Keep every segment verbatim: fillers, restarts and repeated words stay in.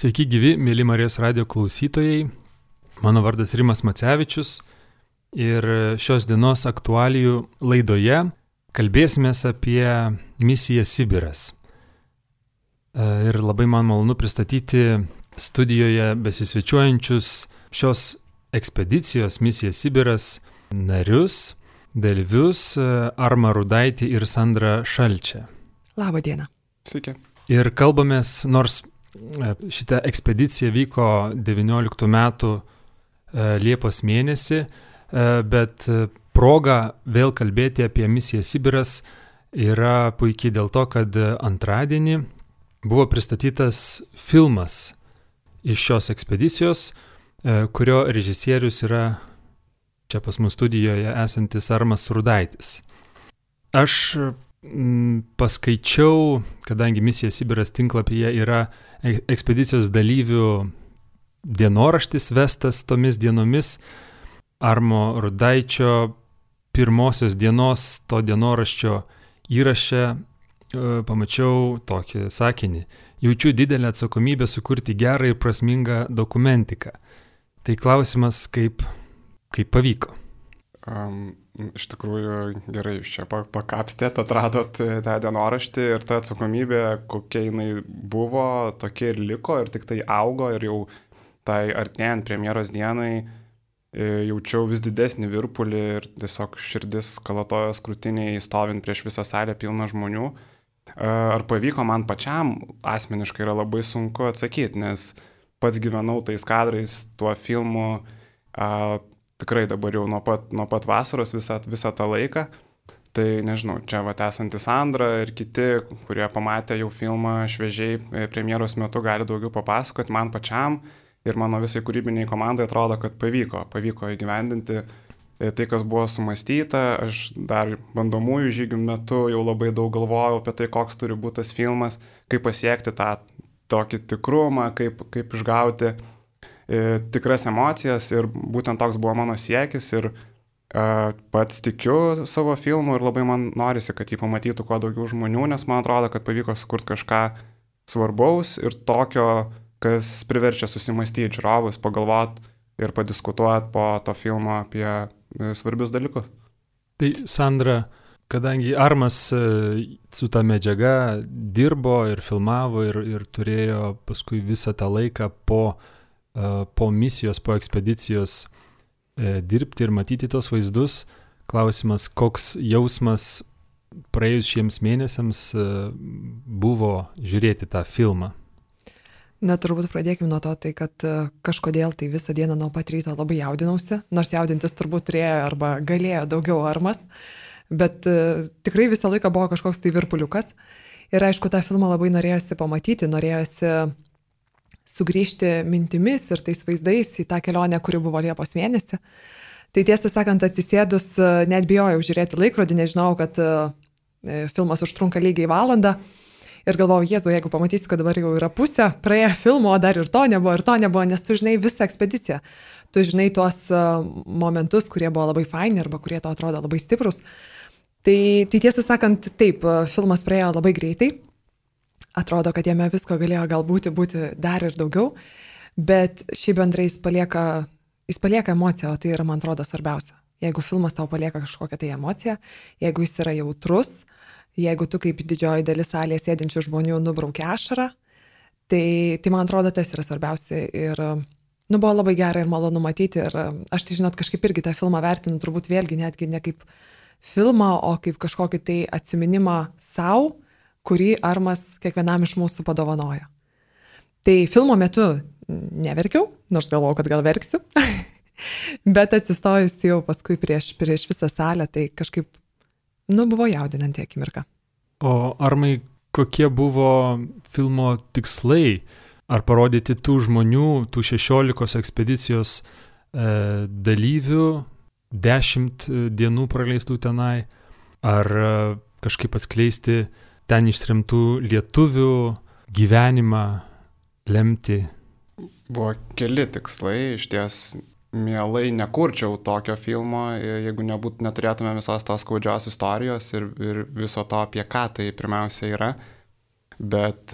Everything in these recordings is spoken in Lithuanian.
Sveiki gyvi, mėly Marijos radijo klausytojai. Mano vardas Rimas Macevičius ir šios dienos aktualijų laidoje kalbėsimės apie misiją Sibiras. Ir labai man malonu pristatyti studijoje besisvečiuojančius šios ekspedicijos misija Sibiras narius, dalyvius Armą Rudaitį ir Sandrą Šalčią. Labą dieną. Sveiki. Ir kalbamės, nors šita ekspedicija vyko devynioliktų metų Liepos mėnesį, bet proga vėl kalbėti apie misiją Sibiras yra puikiai dėl to, kad antradienį buvo pristatytas filmas iš šios ekspedicijos, kurio režisierius yra čia pas mus studijoje esantis Armas Rudaitis. Aš paskaičiau, kadangi misija Sibiras tinklapyje yra ekspedicijos dalyvių dienoraštis vestas tomis dienomis, Armo Rudaičio pirmosios dienos to dienoraščio įraše pamačiau tokį sakinį: jaučiu didelę atsakomybę sukurti gerą ir prasmingą dokumentiką. Tai klausimas, kaip, kaip pavyko. Um, iš tikrųjų gerai, jūs čia pakapstėt, atradot tą dienoraštį ir ta atsakomybė, kokia jinai buvo, tokia ir liko ir tik tai augo ir jau tai artėjant premjeros dienai jaučiau vis didesnį virpulį ir tiesiog širdis kalatojos krūtiniai stovint prieš visą salę pilną žmonių. Ar pavyko man pačiam asmeniškai yra labai sunku atsakyti, nes pats gyvenau tais kadrais, tuo filmu, a, tikrai dabar jau nuo pat, nuo pat vasaros visą, visą tą laiką. Tai nežinau, čia vat esantis Sandra ir kiti, kurie pamatė jau filmą šviežiai premjeros metu, gali daugiau papasakoti. Man pačiam ir mano visai kūrybiniai komandai atrodo, kad pavyko, pavyko įgyvendinti tai, kas buvo sumąstyta. Aš dar bandomųjų žygių metu jau labai daug galvojau apie tai, koks turi būti tas filmas, kaip pasiekti tą tokį tikrumą, kaip, kaip išgauti tikras emocijas ir būtent toks buvo mano siekis ir uh, pats tikiu savo filmu ir labai man norisi, kad jį pamatytų kuo daugiau žmonių, nes man atrodo, kad pavyko sukurti kažką svarbaus ir tokio, kas priverčia susimastyti žiūrovus, pagalvoti ir padiskutuoti po to filmo apie svarbius dalykus. Tai Sandra, kadangi Armas su ta medžiaga dirbo ir filmavo ir, ir turėjo paskui visą tą laiką po po misijos, po ekspedicijos e, dirbti ir matyti tos vaizdus, klausimas, koks jausmas praėjus šiems mėnesiams e, buvo žiūrėti tą filmą? Na, turbūt pradėkime nuo to, tai kad kažkodėl tai visą dieną nuo pat ryto labai jaudinausi, nors jaudintis turbūt turėjo arba galėjo daugiau Armas, bet e, tikrai visą laiką buvo kažkoks tai virpuliukas ir aišku, tą filmą labai norėjosi pamatyti, norėjosi sugrįžti mintimis ir tais vaizdais į tą kelionę, kuri buvo Liepos mėnesį. Tai tiesą sakant, atsisėdus, net bijojau žiūrėti laikrodį, nežinau, kad filmas užtrunka lygiai valandą ir galvojau, Jėzu, jeigu pamatysiu, kad dabar jau yra pusė praėję filmo, o dar ir to nebuvo, ir to nebuvo, nes tu žinai visą ekspediciją. Tu žinai tuos momentus, kurie buvo labai faini arba kurie to atrodo labai stiprus. Tai, tai tiesą sakant, taip, filmas praėjo labai greitai. Atrodo, kad jame visko galėjo galbūt būti dar ir daugiau, bet šiaip bendrai jis palieka, jis palieka emociją, o tai yra, man atrodo, svarbiausia. Jeigu filmas tau palieka kažkokią tai emociją, jeigu jis yra jautrus, jeigu tu kaip didžioji dalis salėje sėdinčių žmonių nubraukia ašarą, tai, tai man atrodo, tas yra svarbiausia ir nu, buvo labai gera ir malonu matyti ir aš tai, žinot, kažkaip irgi tą filmą vertinu, turbūt vėlgi netgi ne kaip filmą, o kaip kažkokį tai atsiminimą savo, kurį Armas kiekvienam iš mūsų padovanojo. Tai filmo metu neverkiau, nors galvojau, kad gal verksiu, bet atsistojus jau paskui prieš, prieš visą salę, tai kažkaip, nu, buvo jaudinanti akimirka. O Armai, kokie buvo filmo tikslai? Ar parodyti tų žmonių, tų šešiolikos ekspedicijos e, dalyvių, dešimt dienų praleistų tenai, ar e, kažkaip atskleisti ten ištremtų lietuvių gyvenimą, lemti? Buvo keli tikslai, iš ties mielai nekurčiau tokio filmo, jeigu nebūt, neturėtume visos tos skaudžios istorijos ir, ir viso to, apie ką tai pirmiausia yra. Bet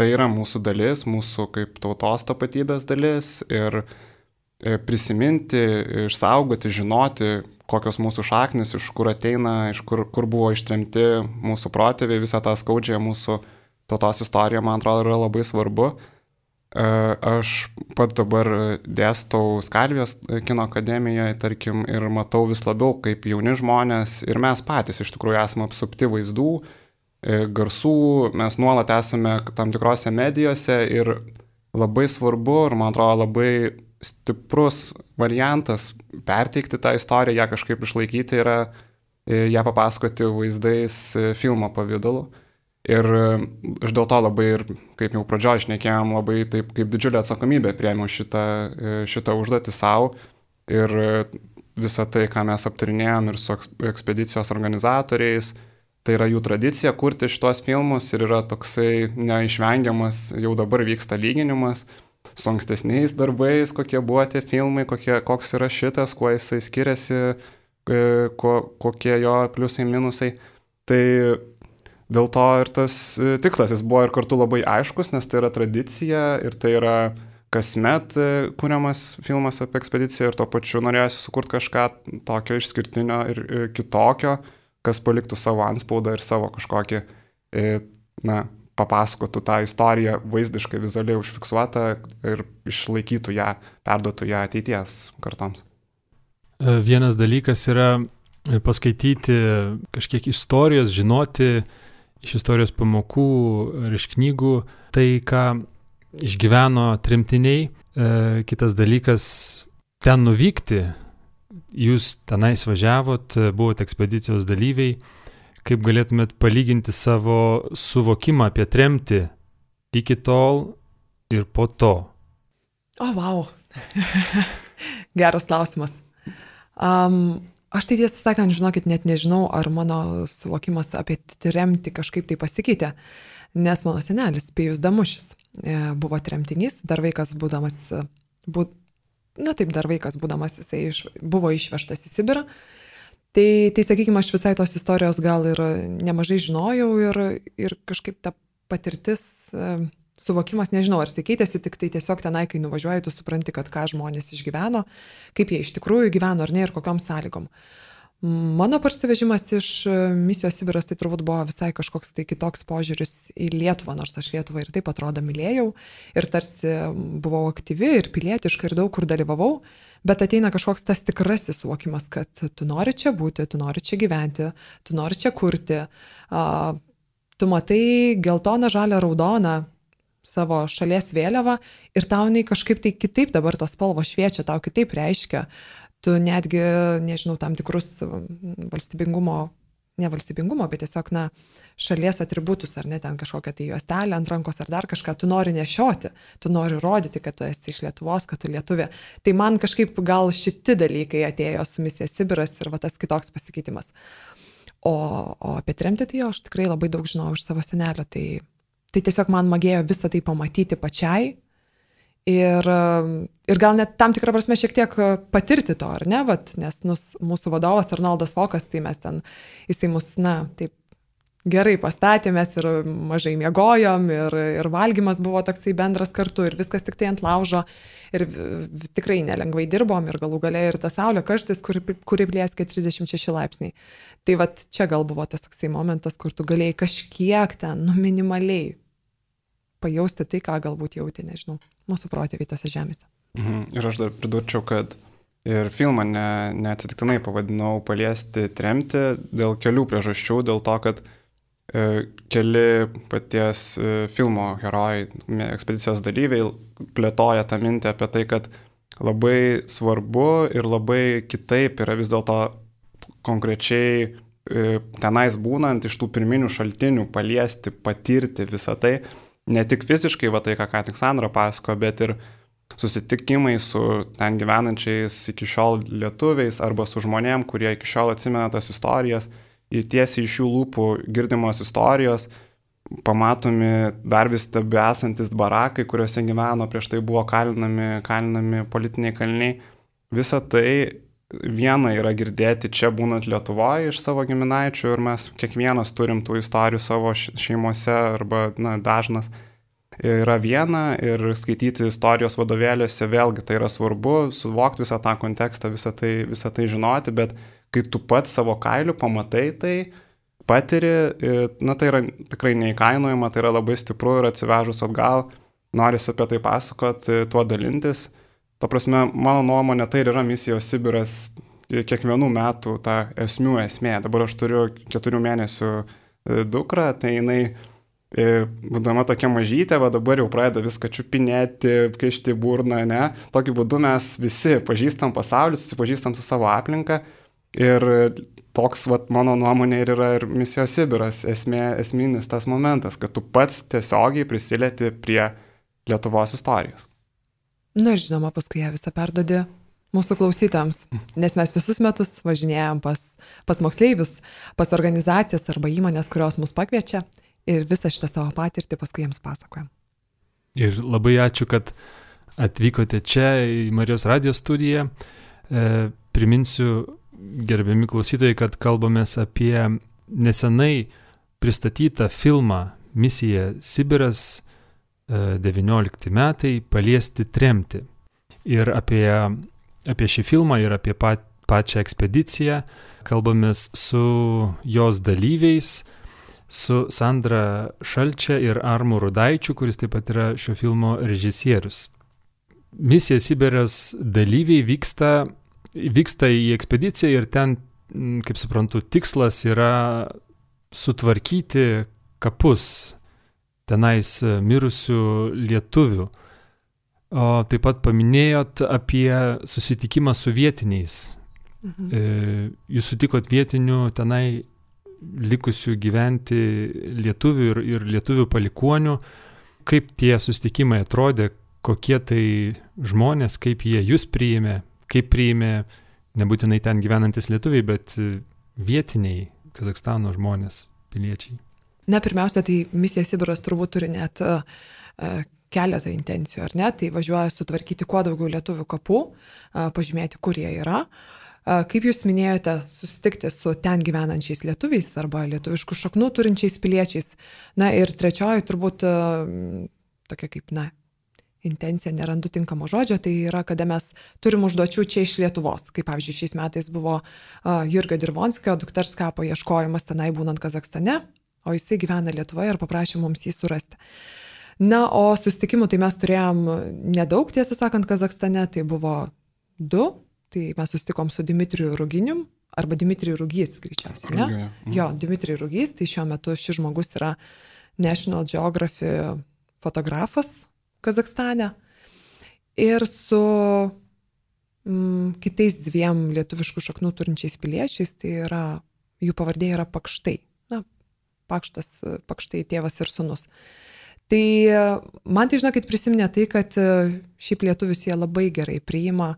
tai yra mūsų dalis, mūsų kaip tautos tapatybės dalis ir prisiminti, išsaugoti, žinoti, kokios mūsų šaknis, iš kur ateina, iš kur, kur buvo ištremti mūsų protėviai, visą tą skaudžią mūsų tautos istoriją, man atrodo, yra labai svarbu. Aš pat dabar dėstau Skalvijos kino akademijoje, tarkim, ir matau vis labiau, kaip jauni žmonės ir mes patys iš tikrųjų esame apsupti vaizdų, garsų, mes nuolat esame tam tikrose medijose ir labai svarbu ir man atrodo labai stiprus variantas perteikti tą istoriją, ją kažkaip išlaikyti yra ją papasakoti vaizdais filmo pavidalu. Ir aš dėl to labai ir, kaip jau pradžioje šnekėjom, labai taip kaip didžiulę atsakomybę priėmiau šitą, šitą užduotį savo ir visą tai, ką mes aptarinėjom ir su ekspedicijos organizatoriais, tai yra jų tradicija kurti šitos filmus ir yra toksai neišvengiamas, jau dabar vyksta lyginimas su ankstesniais darbais, kokie buvo tie filmai, kokie, koks yra šitas, kuo jisai skiriasi, ko, kokie jo pliusai, minusai. Tai dėl to ir tas tikslas, jis buvo ir kartu labai aiškus, nes tai yra tradicija ir tai yra kasmet kuriamas filmas apie ekspediciją ir tuo pačiu norėjusi sukurti kažką tokio išskirtinio ir kitokio, kas paliktų savo antspaudą ir savo kažkokį, na, papasakotų tą istoriją vaizdiškai, vizualiai užfiksuotą ir išlaikytų ją, perduotų ją ateities kartoms. Vienas dalykas yra paskaityti kažkiek istorijos, žinoti iš istorijos pamokų ar iš knygų tai, ką išgyveno tremtiniai. E, kitas dalykas, ten nuvykti, jūs tenais važiavot, buvote ekspedicijos dalyviai, kaip galėtumėt palyginti savo suvokimą apie tremtį iki tol ir po to? O, vau. Geras klausimas. Um, Aš tai tiesą sakant, žinokit, net nežinau, ar mano suvokimas apie tremtį kažkaip tai pasikeitė, nes mano senelis Pijus Damušis buvo tremtinys, dar vaikas būdamas, bū, na taip, dar vaikas būdamas, jisai iš, buvo išvežtas į Sibirą. Tai, tai sakykime, aš visai tos istorijos gal ir nemažai žinojau ir, ir kažkaip ta patirtis, suvokimas, nežinau, ar jis keitėsi, tik tai tiesiog tenai, kai nuvažiuoji, tu supranti, kad ką žmonės išgyveno, kaip jie iš tikrųjų gyveno ar ne ir kokiom sąlygom. Mano parsivežimas iš misijos Sibiras tai turbūt buvo visai kažkoks tai kitoks požiūris į Lietuvą, nors aš Lietuvą ir taip atrodo mylėjau ir tarsi buvau aktyvi ir pilietiška ir daug kur dalyvavau, bet ateina kažkoks tas tikrasis suvokimas, kad tu nori čia būti, tu nori čia gyventi, tu nori čia kurti, tu matai geltoną, žalią, raudoną savo šalies vėliavą ir tau jinai kažkaip tai kitaip dabar tos spalvos šviečia, tau kitaip reiškia. Tu netgi, nežinau, tam tikrus valstybingumo, ne valstybingumo, bet tiesiog, na, šalies atributus, ar ne, ten kažkokią tai juostelę ant rankos ar dar kažką, tu nori nešioti, tu nori rodyti, kad tu esi iš Lietuvos, kad tu lietuvė. Tai man kažkaip gal šiti dalykai atėjo su misija Sibiras ir va tas kitoks pasikeitimas. O, o apie tremtį tai aš tikrai labai daug žinau iš savo senelio, tai Tai tiesiog man magėjo visą tai pamatyti pačiai ir, ir gal net tam tikrą prasme šiek tiek patirti to, ar ne, vat, nes nus, mūsų vadovas Arnoldas Fokas, tai mes ten, jisai mus, na, taip gerai pastatė, mes ir mažai miegojom ir, ir valgymas buvo toksai bendras kartu ir viskas tik tai ant laužo ir tikrai nelengvai dirbom ir galų gale ir ta saulė karštis, kuri, kuri blėskė trisdešimt šeši laipsniai. Tai vat čia gal buvo tas toksai momentas, kur tu galėjai kažkiek ten, nu minimaliai pajausti tai, ką galbūt jauti, nežinau, mūsų protėviai tose žemėse. Mhm. Ir aš dar pridurčiau, kad ir filmą ne, neatsitiktinai pavadinau Paliesti tremtį dėl kelių priežasčių, dėl to, kad e, keli paties e, filmo herojai, ekspedicijos dalyviai plėtoja tą mintį apie tai, kad labai svarbu ir labai kitaip yra vis dėlto konkrečiai e, tenais būnant iš tų pirminių šaltinių paliesti, patirti visą tai, ne tik fiziškai, va tai, ką ką tik Sandra pasako, bet ir susitikimai su ten gyvenančiais iki šiol lietuviais arba su žmonėm, kurie iki šiol atsimena tas istorijas, ir tiesiai iš jų lūpų girdimos istorijos, pamatomi dar vis tebi esantis barakai, kuriuose gyveno, prieš tai buvo kalinami, kalinami politiniai kaliniai. Visa tai viena yra girdėti čia būnant Lietuvoje iš savo giminaičių ir mes kiekvienas turim tų istorijų savo šeimose arba na, dažnas. yra viena ir skaityti istorijos vadovėliuose vėlgi tai yra svarbu, suvokti visą tą kontekstą, visą tai, visą tai žinoti, bet kai tu pats savo kailiu pamatai tai, patiri, na tai yra tikrai neįkainojama, tai yra labai stipru ir atsivežus atgal, norisi apie tai pasakoti, tuo dalintis. Ta prasme, mano nuomonė, tai yra misijos Sibiras kiekvienų metų ta esmių esmė. Dabar aš turiu keturių mėnesių dukrą, tai jinai būdama tokia mažytė, va dabar jau pradeda viską čiupinėti, kišti burną, ne? Tokiu būdu mes visi pažįstam pasaulį, susipažįstam su savo aplinka ir toks, va, mano nuomonė ir yra ir misijos Sibiras, esmė, esminis tas momentas, kad tu pats tiesiogiai prisilieti prie Lietuvos istorijos. Na ir žinoma, paskui ją visą perdodė mūsų klausytams, nes mes visus metus važinėjom pas, pas moksleivius, pas organizacijas arba įmonės, kurios mus pakviečia. Ir visą šitą savo patirtį paskui jiems pasakojam. Ir labai ačiū, kad atvykote čia į Marijos radijo studiją. E, priminsiu, gerbiami klausytojai, kad kalbamės apie nesenai pristatytą filmą Misija Sibiras, e, devyniolikti metai, paliesti tremtį. Ir apie, apie šį filmą ir apie pat, pačią ekspediciją kalbamės su jos dalyviais, su Sandra Šalčia ir Armu Rudaičiu, kuris taip pat yra šio filmo režisierius. Misija Sibiras dalyviai vyksta, vyksta į ekspediciją ir ten, kaip suprantu, tikslas yra sutvarkyti kapus tenais mirusių lietuvių. O taip pat paminėjot apie susitikimą su vietiniais. Mhm. Jūs sutikot vietinių tenai likusių gyventi lietuvių ir, ir lietuvių palikuonių. Kaip tie susitikimai atrodė, kokie tai žmonės, kaip jie jūs priėmė, kaip priėmė nebūtinai ten gyvenantis lietuviai, bet vietiniai Kazachstano žmonės, piliečiai. Na, pirmiausia, tai misija Sibiras turbūt turi net uh, keletą intencijų, ar ne? Tai važiuoja sutvarkyti kuo daugiau lietuvių kapų, uh, pažymėti, kur jie yra. Kaip jūs minėjote, susitikti su ten gyvenančiais lietuviais arba lietuviškų šaknų turinčiais piliečiais. Na ir trečioji turbūt tokia kaip, na, intencija, nerandu tinkamo žodžio, tai yra, kada mes turim užduočių čia iš Lietuvos. Kaip pavyzdžiui, šiais metais buvo Jurgio Dirvonskio dukters kapo ieškojimas tenai būnant Kazachstane, o jisai gyvena Lietuvoje ir paprašė mums jį surasti. Na, o susitikimų tai mes turėjom nedaug, tiesą sakant, Kazachstane, tai buvo du. Tai mes susitikom su Dimitriju Ruginium, arba Dimitriju Rugys, greičiausiai, ne? Rugė. Mhm. Jo, Dimitriju Rugys, tai šiuo metu šis žmogus yra National Geographic fotografas Kazachstane. Ir su mm, kitais dviem lietuviškų šaknų turinčiais piliečiais, tai yra, jų pavardė yra Pakštai. Na, Pakštas, Pakštai tėvas ir sūnus. Tai man tai, žinokit, prisiminė tai, kad šiaip lietuvius jie labai gerai priima.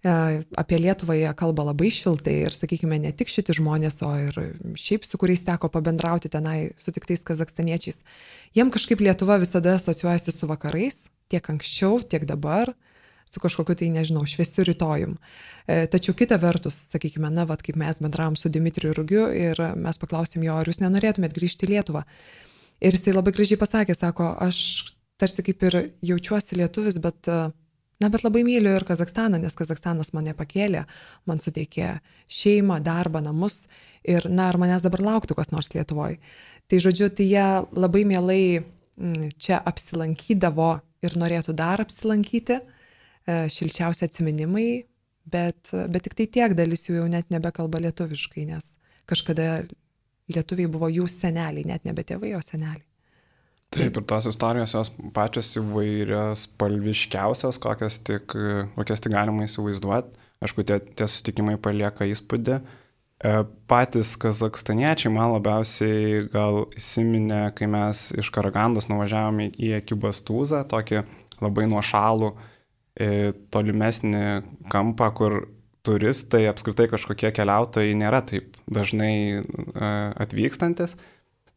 Apie Lietuvą jie kalba labai šiltai ir, sakykime, ne tik šiti žmonės, o ir šiaip su kuriais teko pabendrauti tenai sutiktais kazakstaniečiais. Jiem kažkaip Lietuva visada asociuojasi su vakarais, tiek anksčiau, tiek dabar, su kažkokiu tai, nežinau, šviesiu rytojum. Tačiau kita vertus, sakykime, na, vat, kaip mes bendravom su Dimitriju Rugiu ir mes paklausėm jo, ar jūs nenorėtumėt grįžti į Lietuvą. Ir jisai labai gražiai pasakė, sako, aš tarsi kaip ir jaučiuosi lietuvis, bet... Na, bet labai myliu ir Kazachstaną, nes Kazachstanas mane pakėlė, man suteikė šeimą, darbą, namus ir, na, ar manęs dabar lauktų kas nors Lietuvoje. Tai, žodžiu, tai jie labai mielai čia apsilankydavo ir norėtų dar apsilankyti, šilčiausi atsiminimai, bet, bet tik tai tiek dalis jų jau net nebekalba lietuviškai, nes kažkada lietuviai buvo jų seneliai, net nebe tėvai, o seneliai. Taip, ir tos istorijos jos pačios įvairios, spalviškiausios, kokias tik, kokias tik galima įsivaizduoti. Aišku, tie, tie susitikimai palieka įspūdį. Patys kazakstaniečiai man labiausiai gal įsiminė, kai mes iš Karagandos nuvažiavome į Ekibastūzą, tokį labai nuošalų, tolimesnį kampą, kur turistai, apskritai kažkokie keliautojai nėra taip dažnai atvykstantis.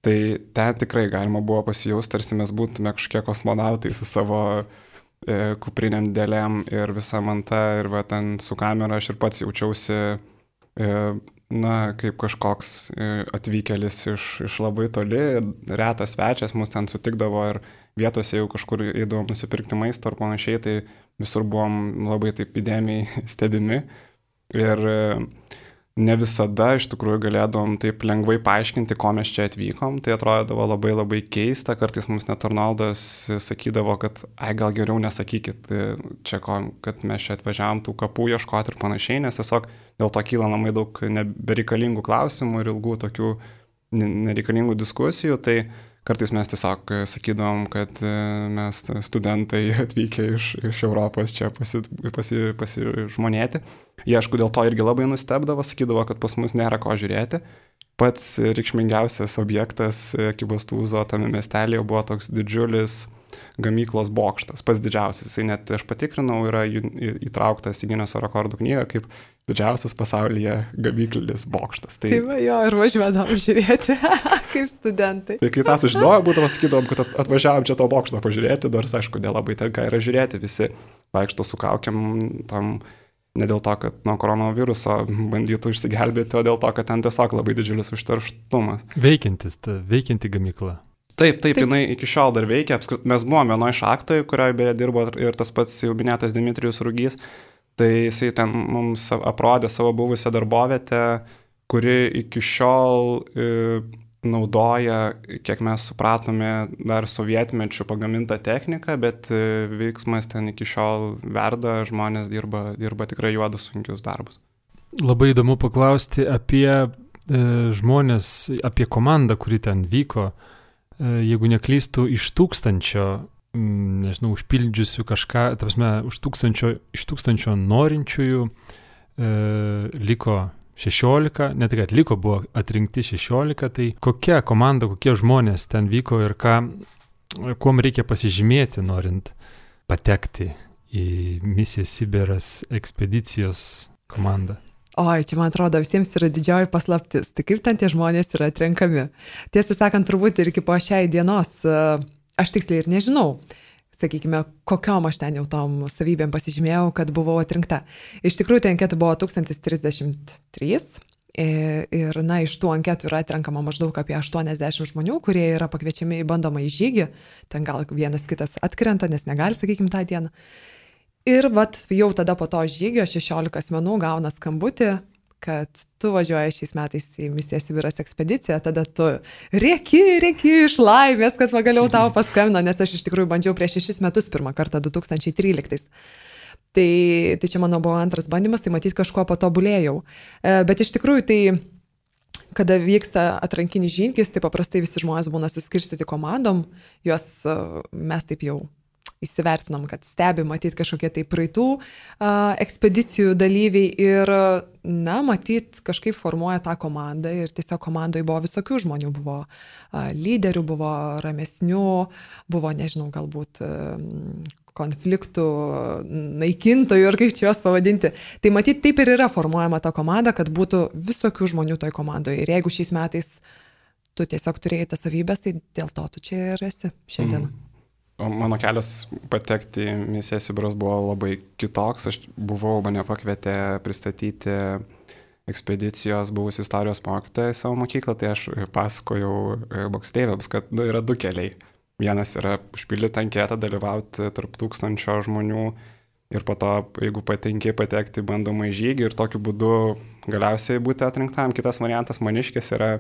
Tai ten tikrai galima buvo pasijausti, tarsi mes būtume kažkokie kosmonautai su savo e, kupriniam dėlėm ir visa manta ir va ten su kamera aš ir pats jaučiausi e, na, kaip kažkoks atvykėlis iš, iš labai toli, retas svečias, mus ten sutikdavo ir vietose jau kažkur eidavom nusipirkti maisto ar panašiai, tai visur buvom labai taip įdėmiai stebimi. Ir ne visada iš tikrųjų galėdavom taip lengvai paaiškinti, ko mes čia atvykom. Tai atrodavo labai labai keista, kartais mums net Arnoldas sakydavo, kad ai gal geriau nesakykit čia, ko, kad mes čia atvažiavom tų kapų ieškoti ir panašiai, nes tiesiog dėl to kyla labai daug nebereikalingų klausimų ir ilgų tokių nereikalingų diskusijų. Tai kartais mes tiesiog sakydavom, kad mes studentai atvykę iš, iš Europos čia pasi, pasi, pasižmonėti. Jie, aišku, dėl to irgi labai nustebdavo, sakydavo, kad pas mus nėra ko žiūrėti. Pats reikšmingiausias objektas Kibostūzo tame miestelėje buvo toks didžiulis gamyklos bokštas, pats didžiausias. Jisai net, aš patikrinau, yra įtrauktas į Gineso rekordų knygą kaip didžiausias pasaulyje gamyklinis bokštas. Tai, tai va, jo, ir važiuodam žiūrėti, kaip studentai. Tai kai tą sužinojom, būdavo sakydavom, kad atvažiavom čia to bokšto pažiūrėti, nors aišku, nelabai tenka yra žiūrėti, visi vaikšto su kaukiam tam, ne dėl to, kad nuo koronaviruso bandytų išsigelbėti, o dėl to, kad ten tiesiog labai didžiulis užterštumas. Veikiantis, ta veikianti gamykla. Taip, taip, taip, jinai iki šiol dar veikia. Apskrit, mes buvom vienoje šachtoje, kurioje beje dirbo ir tas pats jau minėtas Dimitrijus Rugys. Tai jisai ten mums aprodė savo buvusią darbovietę, kuri iki šiol e, naudoja, kiek mes supratome, dar sovietmečių pagamintą techniką, bet e, veiksmas ten iki šiol verda, žmonės dirba, dirba tikrai juodus sunkius darbus. Labai įdomu paklausti apie e, žmonės, apie komandą, kuri ten vyko. Jeigu neklystų, iš tūkstančio, nežinau, užpildžiusių kažką, ta prasme, už tūkstančio, iš tūkstančio norinčiųjų e, liko šešiolika, ne tik atliko, buvo atrinkti šešiolika, tai kokia komanda, kokie žmonės ten vyko ir ką, kuom reikia pasižymėti, norint patekti į Misija Sibiras ekspedicijos komandą? Oi, čia man atrodo visiems yra didžioji paslaptis. Tai kaip ten tie žmonės yra atrenkami? Tiesą sakant, turbūt ir iki po šiai dienos, aš tiksliai ir nežinau, sakykime, kokiom aš ten jau tom savybėm pasižymėjau, kad buvau atrinkta. Iš tikrųjų, tai anketų buvo tūkstantis trisdešimt trys ir, na, iš tų anketų yra atrenkama maždaug apie aštuoniasdešimt žmonių, kurie yra pakviečiami į bandomą į žygį. Ten gal vienas kitas atkrenta, nes negali, sakykime, tą dieną. Ir vat jau tada po to žygio šešiolika asmenų gauna skambutį, kad tu važiuoji šiais metais į Misija Sibiras ekspediciją, tada tu rėki, rėki iš laimės, kad pagaliau tau paskambino, nes aš iš tikrųjų bandžiau prieš šešis metus pirmą kartą du tūkstančiai tryliktais. Tai, tai čia mano buvo antras bandymas, tai matyt kažkuo patobulėjau. Bet iš tikrųjų tai, kada vyksta atrankinis žygis, tai paprastai visi žmonės būna suskirstyti komandom, juos mes taip jau įsivertinom, kad stebi matyt kažkokie tai praeitų a, ekspedicijų dalyviai ir, na, matyt, kažkaip formuoja tą komandą ir tiesiog komandoje buvo visokių žmonių, buvo a, lyderių, buvo ramesnių, buvo, nežinau, galbūt a, konfliktų naikintojų ir kaip čia juos pavadinti. Tai matyt, taip ir yra formuojama ta komanda, kad būtų visokių žmonių toj komandoje. Ir jeigu šiais metais tu tiesiog turėjai tas savybės, tai dėl to tu čia ir esi šiandien. Mm. O mano kelias patekti į Misiją Sibiras buvo labai kitoks. Aš buvau, mane pakvietė pristatyti ekspedicijos buvusių istorijos mokytoją į savo mokyklą, tai aš pasakojau moksleiviams, kad nu, yra du keliai. Vienas yra užpildyti anketą, dalyvauti tarp tūkstančio žmonių ir po to, jeigu patenki, patekti bandomą į žygį ir tokiu būdu galiausiai būti atrinktam. Kitas variantas maniškis yra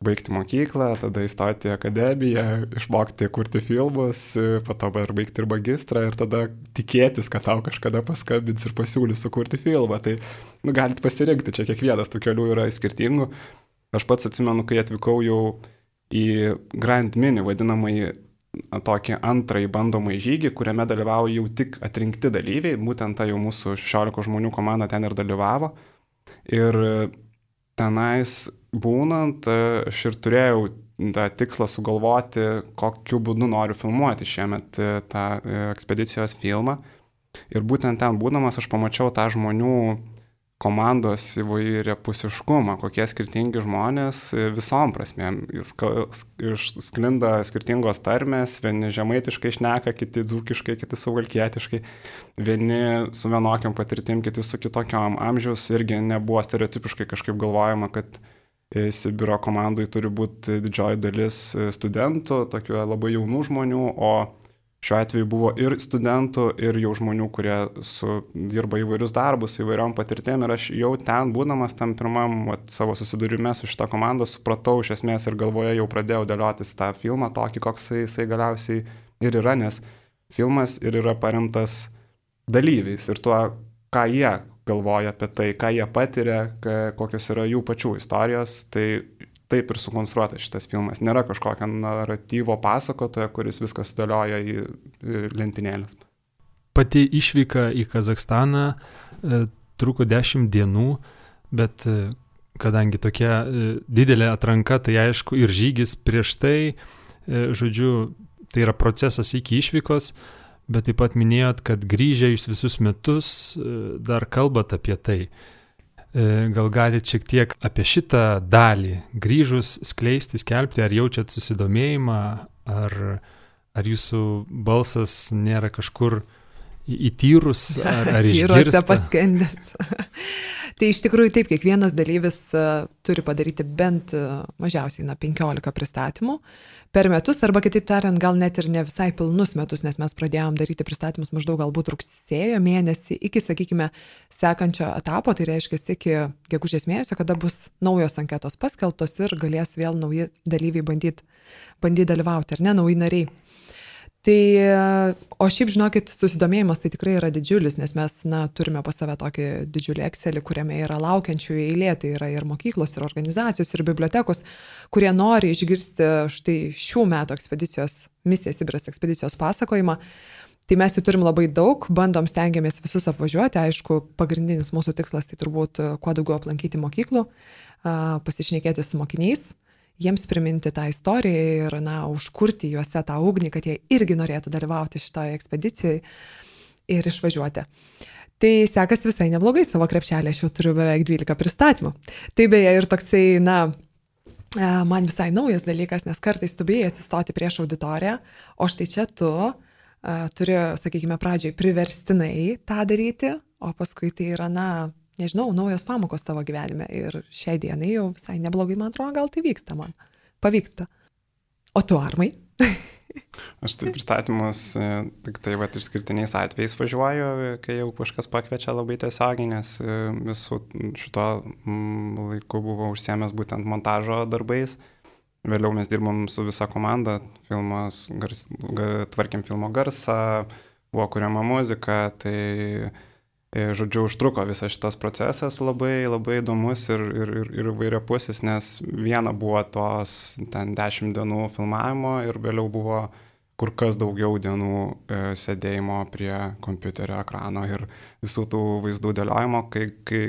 baigti mokyklą, tada įstoti į akademiją, išmokti kurti filmus, po to ir baigti ir magistrą ir tada tikėtis, kad tau kažkada paskambins ir pasiūlys sukurti filmą. Tai nu, galit pasirinkti, čia kiekvienas tų kelių yra skirtingų. Aš pats atsimenu, kai atvykau jau į Grand Mini, vadinamąjį tokį antrąjį bandomąjį žygį, kuriame dalyvavo jau tik atrinkti dalyviai, būtent ta jau mūsų šešiolikos žmonių komanda ten ir dalyvavo. Ir tenais būnant, aš ir turėjau tą tikslą sugalvoti, kokiu būdu noriu filmuoti šiemet tą ekspedicijos filmą. Ir būtent ten būdamas aš pamačiau tą žmonių komandos įvairiapusiškumą, kokie skirtingi žmonės visom prasmėm. Jis sklinda skirtingos tarmės, vieni žemaitiškai šneka, kiti dzūkiškai, kiti suvalkietiškai, vieni su vienokiam patirtim, kiti su kitokiam. Amžiaus irgi nebuvo stereotipiškai kažkaip galvojama, kad Sibiro komandai turi būti didžioji dalis studentų, tokių labai jaunų žmonių, o šiuo atveju buvo ir studentų, ir jau žmonių, kurie su, dirba įvairius darbus, įvairiom patirtėm. Ir aš jau ten, būdamas tam pirmam vat, savo susidūrime su šitą komandą, supratau iš esmės ir galvoje jau pradėjau dėliotis tą filmą tokį, koks jisai galiausiai ir yra, nes filmas ir yra paremtas dalyviais ir tuo, ką jie galvoja apie tai, ką jie patiria, kokios yra jų pačių istorijos. Tai taip ir sukonstruotas šitas filmas. Nėra kažkokio naratyvo pasakotojo, kuris viskas sudėlioja į lentynėlės. Pati išvyka į Kazachstaną e, truko dešimt dienų, bet e, kadangi tokia e, didelė atranka, tai aišku ir žygis prieš tai, e, žodžiu, tai yra procesas iki išvykos, bet taip pat minėjot, kad grįžę jūs visus metus e, dar kalbat apie tai. Gal galite šiek tiek apie šitą dalį grįžus skleisti, skelbti, ar jaučiat susidomėjimą, ar, ar jūsų balsas nėra kažkur įtyrus, ar, ar išgirsta? Tyruose paskendęs. Tai iš tikrųjų taip, kiekvienas dalyvis uh, turi padaryti bent uh, mažiausiai na, penkiolika pristatymų per metus, arba kitaip tariant, gal net ir ne visai pilnus metus, nes mes pradėjom daryti pristatymus maždaug galbūt rugsėjo mėnesį iki, sakykime, sekančio etapo, tai reiškia iki gegužės mėnesio, kada bus naujos anketos paskelbtos ir galės vėl nauji dalyviai bandyti bandyt dalyvauti, ar ne, nauji nariai. Tai, o šiaip, žinokit, susidomėjimas tai tikrai yra didžiulis, nes mes, na, turime pas save tokį didžiulį Excelį, kuriame yra laukiančių eilė, tai yra ir mokyklos, ir organizacijos, ir bibliotekos, kurie nori išgirsti štai šių metų ekspedicijos, misija Sibiras ekspedicijos pasakojimą. Tai mes jų turim labai daug, bandom, stengiamės visus apvažiuoti, aišku, pagrindinis mūsų tikslas tai turbūt kuo daugiau aplankyti mokyklų, pasišnekėti su mokiniais, jiems priminti tą istoriją ir, na, užkurti juose tą ugnį, kad jie irgi norėtų dalyvauti šitoje ekspedicijoje ir išvažiuoti. Tai sekasi visai neblogai, savo krepšelį aš jau turiu beveik dvylika pristatymų. Tai beje ir toksai, na, man visai naujas dalykas, nes kartais tu bijai atsistoti prieš auditoriją, o štai čia tu turi, sakykime, pradžiai priverstinai tą daryti, o paskui tai yra, na, nežinau, naujos pamokos tavo gyvenime ir šiai dienai jau visai neblogai, man atrodo, gal tai vyksta man. Pavyksta. O tu, Armai? Aš tai pristatymus tik tai vat, išskirtiniais atvejais važiuoju, kai jau kažkas pakviečia labai tiesiogiai, nes visų šito laiku buvau užsiėmęs būtent montažo darbais. Vėliau mes dirbom su visa komanda, filmas, gars, gar, tvarkėm filmo garsą, buvo kuriama muzika, tai žodžiu, užtruko visas šitas procesas labai, labai įdomus ir, ir, ir, ir vairiapusis, nes viena buvo tos ten dešimt dienų filmavimo ir vėliau buvo kur kas daugiau dienų e, sėdėjimo prie kompiuterio ekrano ir visų tų vaizdų dėliojimo, kai, kai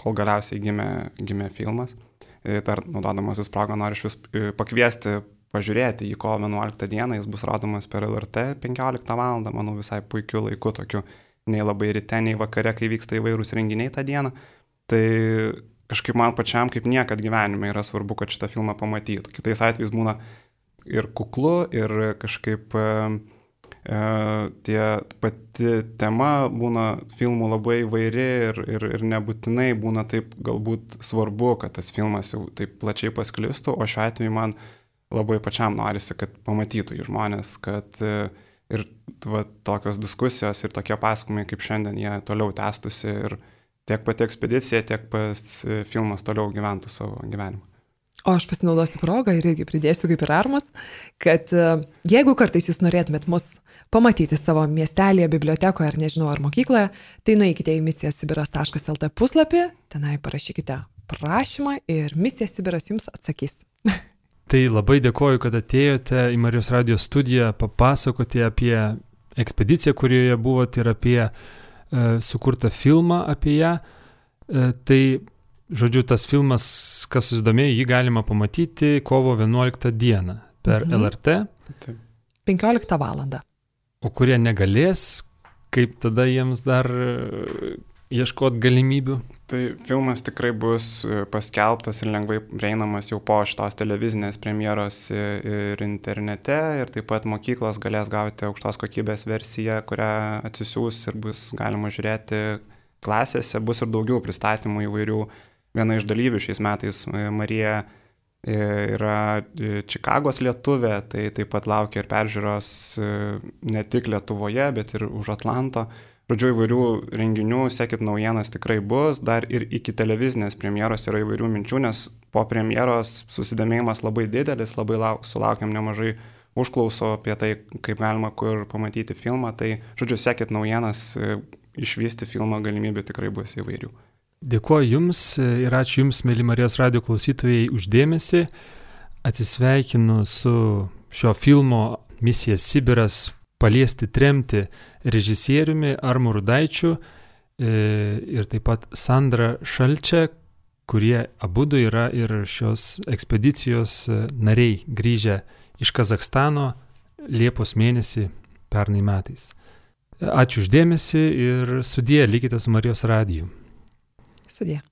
kol galiausiai gimė, gimė filmas. E, dar naudodamasis progą noriu iš vis pakviesti pažiūrėti į kovo vienuoliktą dieną, jis bus rodomas per L R T penkioliktą valandą, manau visai puikiu laiku tokiu. Nei labai ryte, nei vakare, kai vyksta įvairūs renginiai tą dieną. Tai kažkaip man pačiam kaip niekad gyvenime yra svarbu, kad šitą filmą pamatytų. Kitais atvejais būna ir kuklu, ir kažkaip e, tie pati tema būna filmų labai įvairi ir, ir, ir nebūtinai būna taip galbūt svarbu, kad tas filmas jau taip plačiai pasklistų, o šiuo atveju man labai pačiam norisi, kad pamatytų jį žmonės, kad e, ir va, tokios diskusijos ir tokie pasakojimai kaip šiandien jie toliau tęstųsi ir tiek pati ekspedicija, tiek pats filmas toliau gyventų savo gyvenimą. O aš pasinaudosiu progą ir irgi pridėsiu kaip ir Armas, kad jeigu kartais jūs norėtumėt mus pamatyti savo miestelėje, bibliotekoje ar nežinau ar mokykloje, tai nueikite į misija sibiras taškas el te puslapį, tenai parašykite prašymą ir misija Sibiras jums atsakys. Tai labai dėkoju, kad atėjote į Marijos radijo studiją papasakoti apie ekspediciją, kurioje buvote ir apie e, sukurtą filmą apie ją. E, tai, žodžiu, tas filmas, kas susidomėjo, jį galima pamatyti kovo vienuoliktą dieną per mhm. L R T. Taip. penkioliktą valandą. O kurie negalės, kaip tada jiems dar ieškoti galimybių? Tai filmas tikrai bus paskelbtas ir lengvai prieinamas jau po šitos televizinės premjeros ir internete, ir taip pat mokyklos galės gauti aukštos kokybės versiją, kurią atsisiūs ir bus galima žiūrėti klasėse, bus ir daugiau pristatymų įvairių. Viena iš dalyvių šiais metais, Marija, yra Čikagos lietuvė, tai taip pat laukia ir peržiūros ne tik Lietuvoje, bet ir už Atlanto. Žodžiu, įvairių renginių, sekit naujienas, tikrai bus, dar ir iki televizinės premjeros yra įvairių minčių, nes po premjeros susidomėjimas labai didelis, labai lauk, sulaukiam nemažai užklausų apie tai, kaip galima kur pamatyti filmą, tai, žodžiu, sekit naujienas, išvysti filmo galimybių tikrai bus įvairių. Dėkuoju Jums ir ačiū Jums, mėly Marijos radijo klausytojai, uždėmesį. Atsisveikinu su šio filmo Misija Sibiras paliesti tremti režisieriumi Armu Rudaičiu ir taip pat Sandra Šalčia, kurie abudu yra ir šios ekspedicijos nariai grįžę iš Kazachstano Liepos mėnesį pernai metais. Ačiū uždėmesį ir sudie, likite su Marijos radiju. Sudie.